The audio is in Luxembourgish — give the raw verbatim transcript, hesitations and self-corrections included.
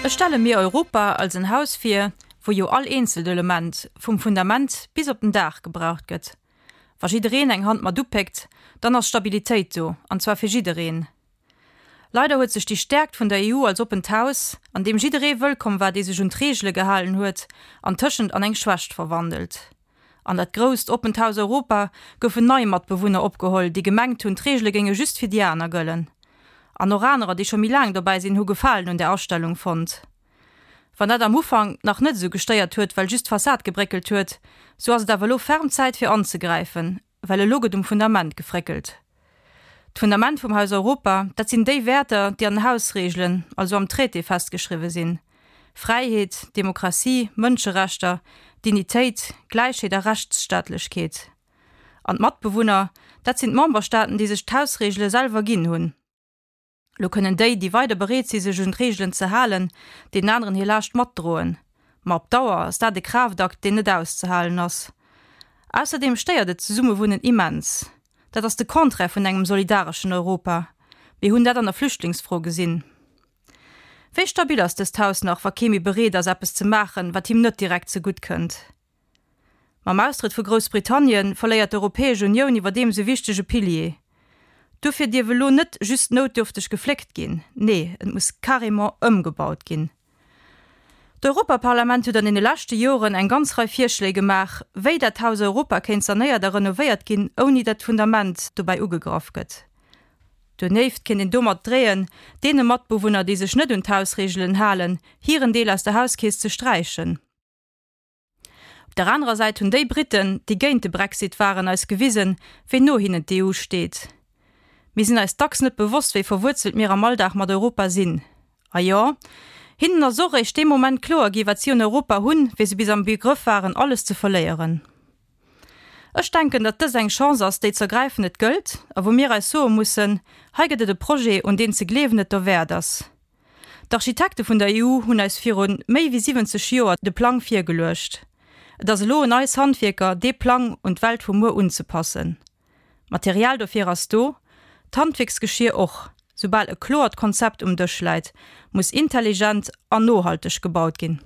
Ech stelle mir Europa als en Haus vir, wou jo all eenzelt Element, vum Fundament bis op den Daach gebraucht gëtt. Wa jiddereen eng Hand mat upéckt, dann ass Stabilitéit do, an zwar fir jiddereen. Leider huet sech déi Stäerkt vun der E U als oppent Haus, an deem jidderee wëllkomm war, dee sech un d'Reegele gehalen huet, antëschent an eng Schwächt verwandelt. An dat grousst, oppent Haus Europa goufen nei Matbewunner opgeholl, déi gemengt hunn, d'Reegele géinge just fir déi aner gëllen. An och anerer, déi scho méi laang dobäi sinn, hu Gefalen un där Astellung fonnt. Wann dat am Ufank nach net esou gestéiert huet, well just d'Fassad gebréckelt huet, sou ass et awer elo ferm Zäit fir anzegräifen, well elo gëtt um Fundament gefréckelt. D'Fundament vum Haus Europa, dat sinn déi Wäerter, déi an den Hausreegelen, also am Traité festgeschriwwe sinn, Fräiheet, Demokratie, Mënscherechter, Dignitéit, Gläichheet a Rechtsstaatlechkeet. An d'Matbewunner, dat sinn d'Memberstaaten, déi sech d'Hausreegele selwer ginn hunn. Lo kënnen déi, déi weider bereet si sech un d'Reegelen ze halen, deenen aneren hir Laascht matdroen. Ma op Dauer ass dat e Kraaftakt, deen net auszehalen ass. Ausserdeem stéiert et d'Zesummewunnen immens. Dat ass de Contraire vun engem solidareschen Europa. Mir hunn dat an der Flüchtlingsfro gesinn. Wéi stabil ass dëst Haus nach, wa kee méi bereet ass eppes ze maachen, wat him net direkt zegutt kënnt? Mam Austrëtt vu Groussbritannien verléiert d'Europäesch Unioun iwwerdeems e wichtege Pilier. Dofir dierf elo net just noutdürfteg gefléckt ginn, nee, et muss carrément ëmgebaut ginn. D'Europaparlament huet an deene leschte Joren eng ganz Rei Virschléi gemaach, wéi dat Haus Europa kéint sanéiert a renovéiert ginn, ouni datt d'Fundament dobäi ugegraff gëtt. Donieft kéint een domat dreeën, deene Matbewunner, déi sech net un d'Hausreegelen halen, hiren Deel aus der Hauskeess ze sträichen. Op der anerer Säit hunn déi Britten, déi géint de Brexit waren, eis gewisen, wéi no hinnen d'E U steet. Mir sinn eis dacks net bewosst, wéi verwuerzelt mir am Alldag mat Europa sinn. A jo, hinnen ass och eréischt dee Moment kloer gi wat si un Europa hunn, wéi se bis am Begrëff waren, alles ze verléieren. Ech denken, datt dës eng Chance ass, déi z'ergräifen et gëllt, a wou mir eis soe mussen, hei gëtt et e Projet, un deen ze gleewen et derwäert ass. D'Architekte vun der E U hunn eis viru méi wéi siwwenzeg Joer de Plang virgeluecht. Et ass elo un eis Handwierker, dee Plang un d'Welt vu muer unzepassen. D'Material dofir ass do, d'Handwierksgeschier och. Soubal e kloert Konzept um Dësch läit, muss intelligent an nohalteg gebaut ginn.